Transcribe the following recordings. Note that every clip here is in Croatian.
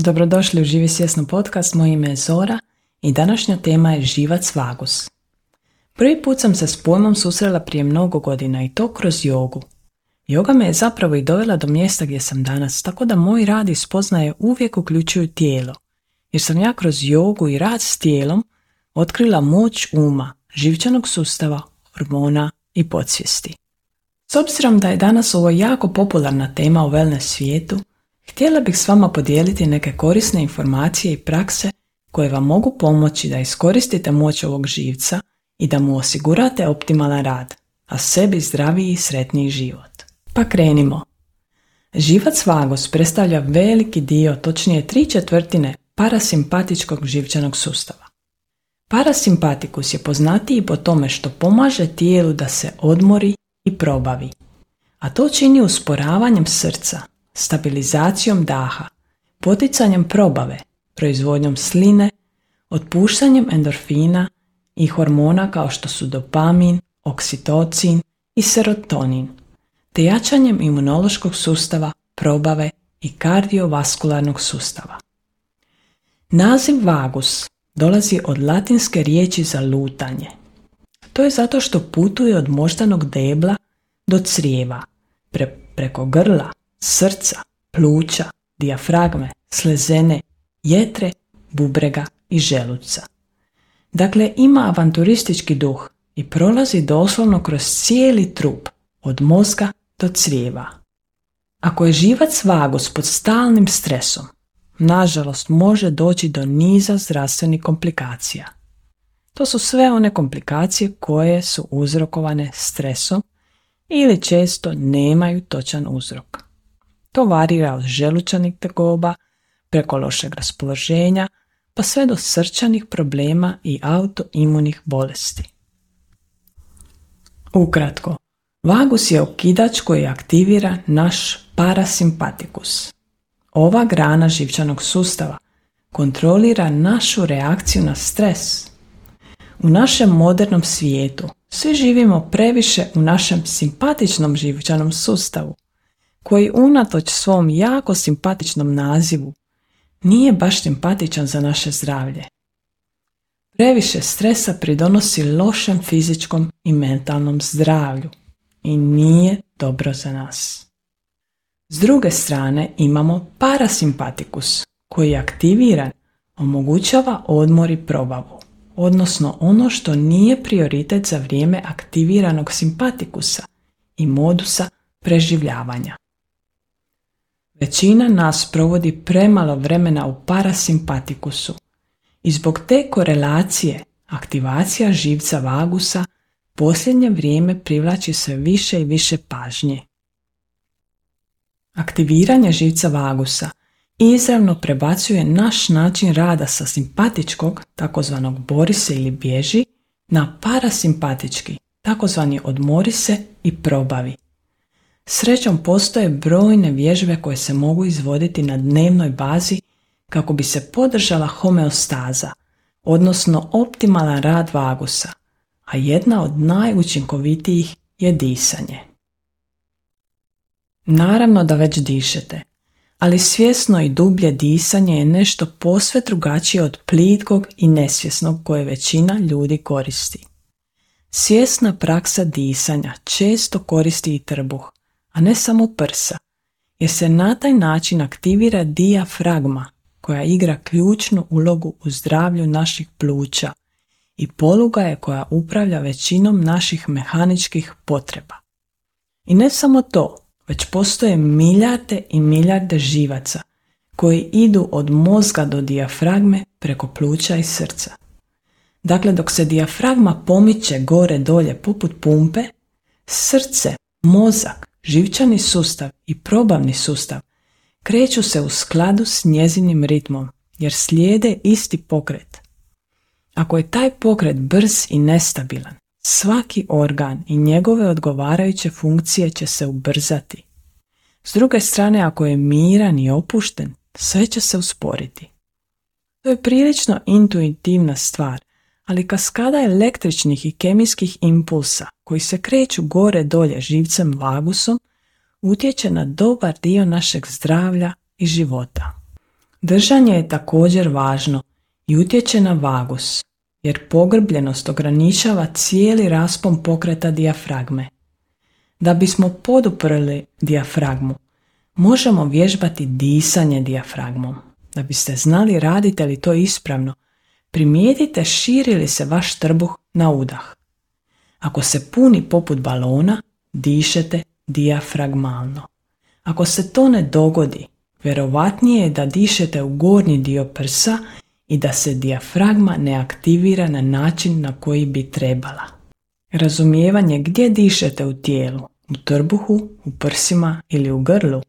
Dobrodošli u Živi svjesno podcast, moje ime je Zora i današnja tema je živac vagus. Prvi put sam se s pojmom susrela prije mnogo godina i to kroz jogu. Joga me je zapravo i dovela do mjesta gdje sam danas, tako da moj rad i spoznaje uvijek uključuju tijelo, jer sam ja kroz jogu i rad s tijelom otkrila moć uma, živčanog sustava, hormona i podsvijesti. S obzirom da je danas ovo jako popularna tema u wellness svijetu, htjela bih s vama podijeliti neke korisne informacije i prakse koje vam mogu pomoći da iskoristite moć ovog živca i da mu osigurate optimalan rad, a sebi zdraviji i sretniji život. Pa krenimo. Živac vagus predstavlja veliki dio, točnije 3/4 parasimpatičkog živčanog sustava. Parasimpatikus je poznatiji po tome što pomaže tijelu da se odmori i probavi, a to čini usporavanjem srca, stabilizacijom daha, poticanjem probave, proizvodnjom sline, otpuštanjem endorfina i hormona kao što su dopamin, oksitocin i serotonin, te jačanjem imunološkog sustava, probave i kardiovaskularnog sustava. Naziv vagus dolazi od latinske riječi za lutanje. To je zato što putuje od moždanog debla do crijeva, preko grla, srca, pluća, dijafragme, slezene, jetre, bubrega i želuca. Dakle, ima avanturistički duh i prolazi doslovno kroz cijeli trup, od mozga do crijeva. Ako je živac vagus pod stalnim stresom, nažalost može doći do niza zdravstvenih komplikacija. To su sve one komplikacije koje su uzrokovane stresom ili često nemaju točan uzrok. To varira od želučanih tegoba, preko lošeg raspoloženja, pa sve do srčanih problema i autoimunih bolesti. Ukratko, vagus je okidač koji aktivira naš parasimpatikus. Ova grana živčanog sustava kontrolira našu reakciju na stres. U našem modernom svijetu svi živimo previše u našem simpatičnom živčanom sustavu, koji unatoč svom jako simpatičnom nazivu nije baš simpatičan za naše zdravlje. Previše stresa pridonosi lošem fizičkom i mentalnom zdravlju i nije dobro za nas. S druge strane imamo parasimpatikus koji je aktiviran, omogućava odmor i probavu, odnosno ono što nije prioritet za vrijeme aktiviranog simpatikusa i modusa preživljavanja. Većina nas provodi premalo vremena u parasimpatikusu i zbog te korelacije aktivacija živca vagusa posljednje vrijeme privlači sve više i više pažnje. Aktiviranje živca vagusa izravno prebacuje naš način rada sa simpatičkog, takozvanog bori se ili bježi, na parasimpatički, takozvani odmori se i probavi. Srećom postoje brojne vježbe koje se mogu izvoditi na dnevnoj bazi kako bi se podržala homeostaza, odnosno optimalan rad vagusa, a jedna od najučinkovitijih je disanje. Naravno da već dišete, ali svjesno i dublje disanje je nešto posve drugačije od plitkog i nesvjesnog koje većina ljudi koristi. Svjesna praksa disanja često koristi i trbuh, a ne samo prsa, jer se na taj način aktivira dijafragma koja igra ključnu ulogu u zdravlju naših pluća i poluga je koja upravlja većinom naših mehaničkih potreba. I ne samo to, već postoje milijarde i milijarde živaca koji idu od mozga do dijafragme preko pluća i srca. Dakle, dok se dijafragma pomiče gore dolje poput pumpe, srce, mozak, živčani sustav i probavni sustav kreću se u skladu s njezinim ritmom jer slijede isti pokret. Ako je taj pokret brz i nestabilan, svaki organ i njegove odgovarajuće funkcije će se ubrzati. S druge strane, ako je miran i opušten, sve će se usporiti. To je prilično intuitivna stvar, ali kaskada električnih i kemijskih impulsa koji se kreću gore dolje živcem vagusom utječe na dobar dio našeg zdravlja i života. Držanje je također važno i utječe na vagus, jer pogrbljenost ograničava cijeli raspon pokreta dijafragme. Da bismo poduprli dijafragmu, možemo vježbati disanje dijafragmom. Da biste znali radite li to ispravno, primijetite širi li se vaš trbuh na udah. Ako se puni poput balona, dišete dijafragmalno. Ako se to ne dogodi, vjerovatnije je da dišete u gornji dio prsa i da se dijafragma ne aktivira na način na koji bi trebala. Razumijevanje gdje dišete u tijelu, u trbuhu, u prsima ili u grlu,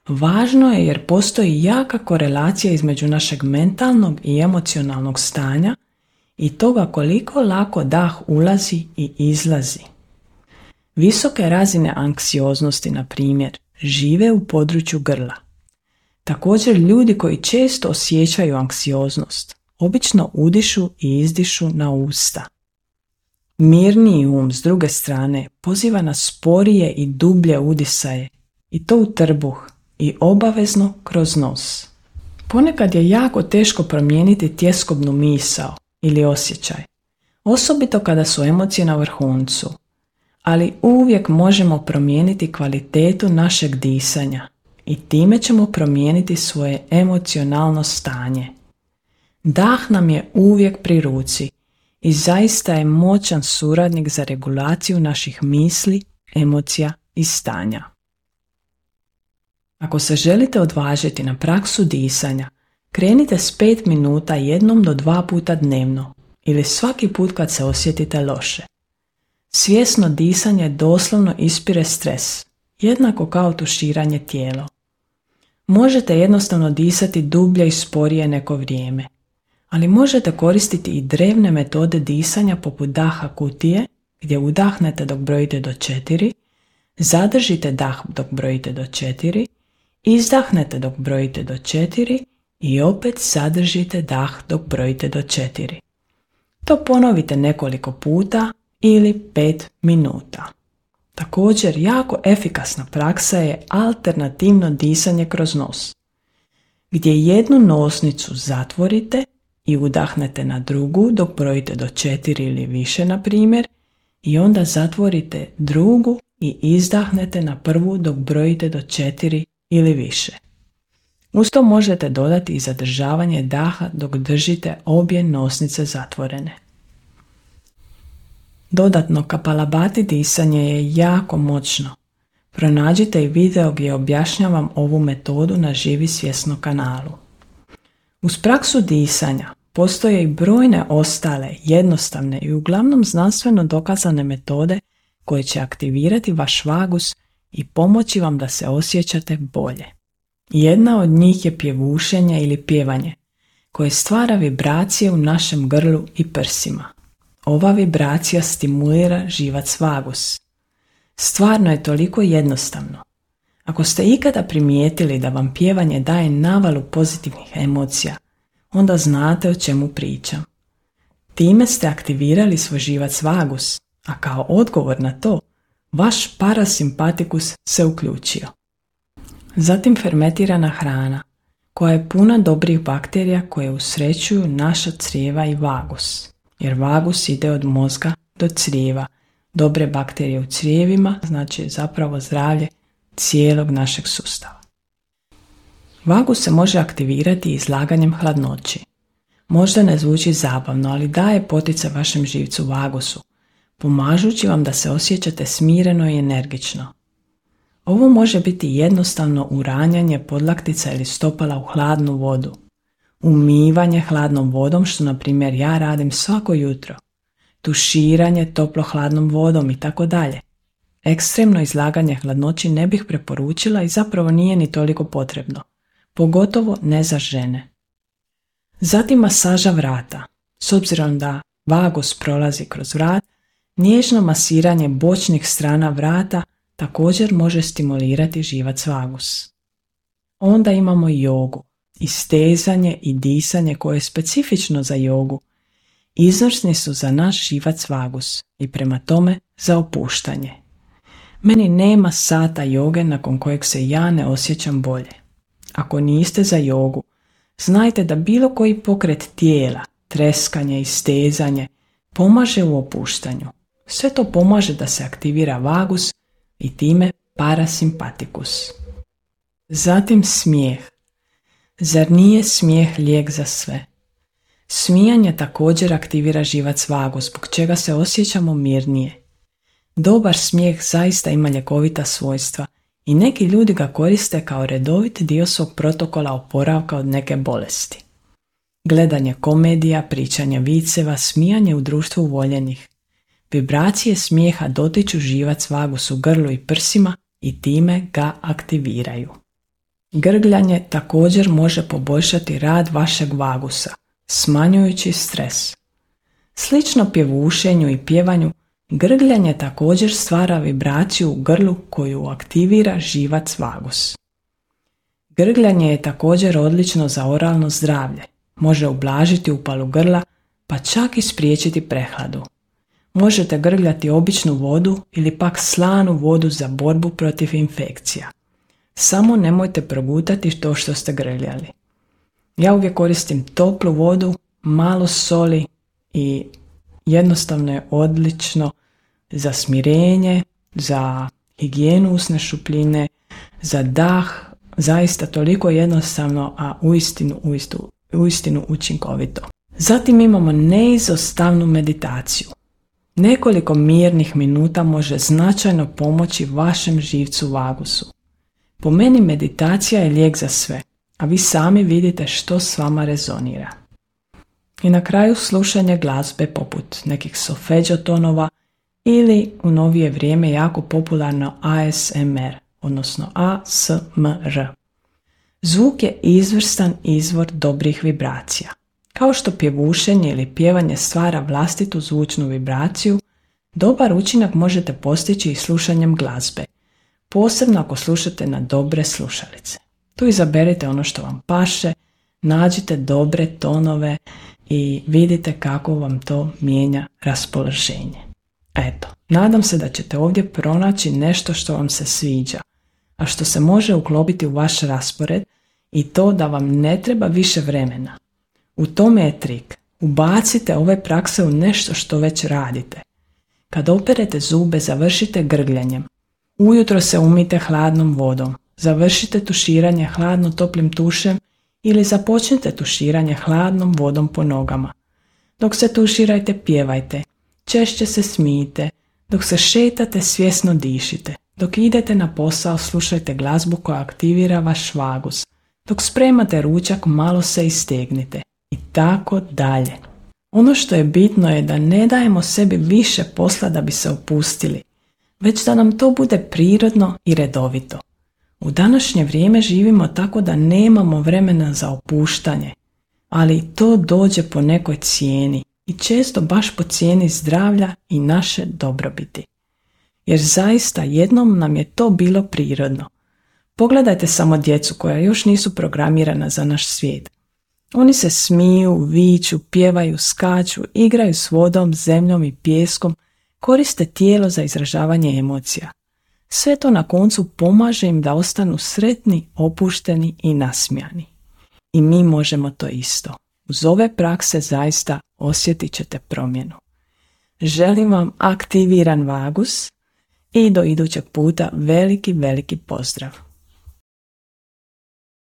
važno je jer postoji jaka korelacija između našeg mentalnog i emocionalnog stanja i toga koliko lako dah ulazi i izlazi. Visoke razine anksioznosti, na primjer, žive u području grla. Također ljudi koji često osjećaju anksioznost, obično udišu i izdišu na usta. Mirniji um, s druge strane, poziva na sporije i dublje udisaje, i to u trbuh, i obavezno kroz nos. Ponekad je jako teško promijeniti tjeskobnu misao ili osjećaj, osobito kada su emocije na vrhuncu, ali uvijek možemo promijeniti kvalitetu našeg disanja i time ćemo promijeniti svoje emocionalno stanje. Dah nam je uvijek pri ruci i zaista je moćan suradnik za regulaciju naših misli, emocija i stanja. Ako se želite odvažiti na praksu disanja, krenite s 5 minuta 1 do 2 puta dnevno ili svaki put kad se osjetite loše. Svjesno disanje doslovno ispire stres, jednako kao tuširanje tijela. Možete jednostavno disati dublje i sporije neko vrijeme, ali možete koristiti i drevne metode disanja poput daha kutije, gdje udahnete dok brojite do 4, zadržite dah dok brojite do 4, izdahnete dok brojite do 4 i opet zadržite dah dok brojite do 4. To ponovite nekoliko puta ili 5 minuta. Također, jako efikasna praksa je alternativno disanje kroz nos, gdje jednu nosnicu zatvorite i udahnete na drugu dok brojite do 4 ili više, na primjer, i onda zatvorite drugu i izdahnete na prvu dok brojite do 4 ili više. Uz to možete dodati i zadržavanje daha dok držite obje nosnice zatvorene. Dodatno, kapalabhati disanje je jako moćno. Pronađite i video gdje objašnjavam ovu metodu na Živi svjesno kanalu. Uz praksu disanja postoje i brojne ostale, jednostavne i uglavnom znanstveno dokazane metode koje će aktivirati vaš vagus i pomoći vam da se osjećate bolje. Jedna od njih je pjevušenje ili pjevanje, koje stvara vibracije u našem grlu i prsima. Ova vibracija stimulira živac vagus. Stvarno je toliko jednostavno. Ako ste ikada primijetili da vam pjevanje daje navalu pozitivnih emocija, onda znate o čemu pričam. Time ste aktivirali svoj živac vagus, a kao odgovor na to, vaš parasimpatikus se uključio. Zatim fermentirana hrana, koja je puna dobrih bakterija koje usrećuju naša crijeva i vagus. Jer vagus ide od mozga do crijeva. Dobre bakterije u crijevima znači zapravo zdravlje cijelog našeg sustava. Vagus se može aktivirati izlaganjem hladnoći. Možda ne zvuči zabavno, ali daje poticaj vašem živcu vagusu, pomažući vam da se osjećate smireno i energično. Ovo može biti jednostavno uranjanje podlaktica ili stopala u hladnu vodu, umivanje hladnom vodom, što na primjer ja radim svako jutro, tuširanje toplo-hladnom vodom i tako dalje. Ekstremno izlaganje hladnoći ne bih preporučila i zapravo nije ni toliko potrebno, pogotovo ne za žene. Zatim masaža vrata. S obzirom da vagus prolazi kroz vrat, nježno masiranje bočnih strana vrata također može stimulirati živac vagus. Onda imamo jogu, istezanje i disanje koje je specifično za jogu. Izvrsni su za naš živac vagus i prema tome za opuštanje. Meni nema sata joge nakon kojeg se ja ne osjećam bolje. Ako niste za jogu, znajte da bilo koji pokret tijela, treskanje i stezanje pomaže u opuštanju. Sve to pomaže da se aktivira vagus i time parasimpatikus. Zatim smijeh. Zar nije smijeh lijek za sve? Smijanje također aktivira živac vagus, zbog čega se osjećamo mirnije. Dobar smijeh zaista ima ljekovita svojstva i neki ljudi ga koriste kao redovit dio svog protokola oporavka od neke bolesti. Gledanje komedija, pričanje viceva, smijanje u društvu voljenih. Vibracije smijeha dotiču živac vagus u grlu i prsima i time ga aktiviraju. Grgljanje također može poboljšati rad vašeg vagusa, smanjujući stres. Slično pjevušenju i pjevanju, grgljanje također stvara vibraciju u grlu koju aktivira živac vagus. Grgljanje je također odlično za oralno zdravlje. Može ublažiti upalu grla, pa čak i spriječiti prehladu. Možete grgljati običnu vodu ili pak slanu vodu za borbu protiv infekcija. Samo nemojte progutati to što ste grgljali. Ja uvijek koristim toplu vodu, malo soli i jednostavno je odlično za smirenje, za higijenu usne šupljine, za dah, zaista toliko jednostavno, a uistinu učinkovito. Zatim imamo neizostavnu meditaciju. Nekoliko mirnih minuta može značajno pomoći vašem živcu vagusu. Po meni meditacija je lijek za sve, a vi sami vidite što s vama rezonira. I na kraju slušanje glazbe poput nekih solfeggio tonova ili u novije vrijeme jako popularno ASMR, odnosno ASMR. Zvuk je izvrstan izvor dobrih vibracija. Kao što pjevušenje ili pjevanje stvara vlastitu zvučnu vibraciju, dobar učinak možete postići i slušanjem glazbe, posebno ako slušate na dobre slušalice. Tu izaberite ono što vam paše, nađite dobre tonove i vidite kako vam to mijenja raspoloženje. Eto, nadam se da ćete ovdje pronaći nešto što vam se sviđa, a što se može uklopiti u vaš raspored i to da vam ne treba više vremena. U tome je trik. Ubacite ove prakse u nešto što već radite. Kad operete zube, završite grgljanjem. Ujutro se umijte hladnom vodom. Završite tuširanje hladno toplim tušem ili započnite tuširanje hladnom vodom po nogama. Dok se tuširajte, pjevajte. Češće se smijte. Dok se šetate, svjesno dišite. Dok idete na posao, slušajte glazbu koja aktivira vaš vagus. Dok spremate ručak, malo se istegnite. I tako dalje. Ono što je bitno je da ne dajemo sebi više posla da bi se opustili, već da nam to bude prirodno i redovito. U današnje vrijeme živimo tako da nemamo vremena za opuštanje, ali to dođe po nekoj cijeni i često baš po cijeni zdravlja i naše dobrobiti. Jer zaista jednom nam je to bilo prirodno. Pogledajte samo djecu koja još nisu programirana za naš svijet. Oni se smiju, viču, pjevaju, skaču, igraju s vodom, zemljom i pijeskom, koriste tijelo za izražavanje emocija. Sve to na koncu pomaže im da ostanu sretni, opušteni i nasmijani. I mi možemo to isto. Uz ove prakse zaista osjetit ćete promjenu. Želim vam aktiviran vagus i do idućeg puta veliki pozdrav.